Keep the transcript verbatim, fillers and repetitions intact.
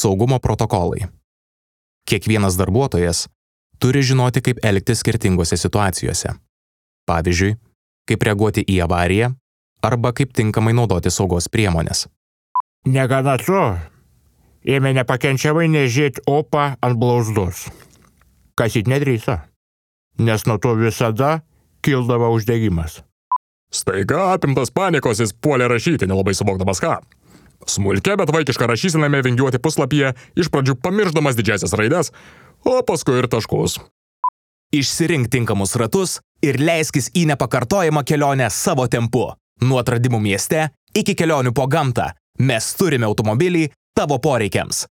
Saugumo protokolai. Kiekvienas darbuotojas turi žinoti, kaip elgtis skirtingose situacijose. Pavyzdžiui, kaip reaguoti į avariją arba kaip tinkamai naudoti saugos priemonės. Negana to, ėmė nepakenčiamai nežėti opą ant blauzdos. Kasyt nedrįso, nes nuo to visada kildavo uždegimas. Staiga apimtas panikos jis puolė rašyti, nelabai suvokdamas ką. Smulkia, bet vaikiška rašysename vingiuoti puslapyje, iš pradžių pamiršdamas didžiasias raides, o paskui ir taškus. Išsirink tinkamus ratus ir leiskis į nepakartojamą kelionę savo tempu. Nuo atradimų mieste iki kelionių po gamtą. Mes turime automobilį tavo poreikiams.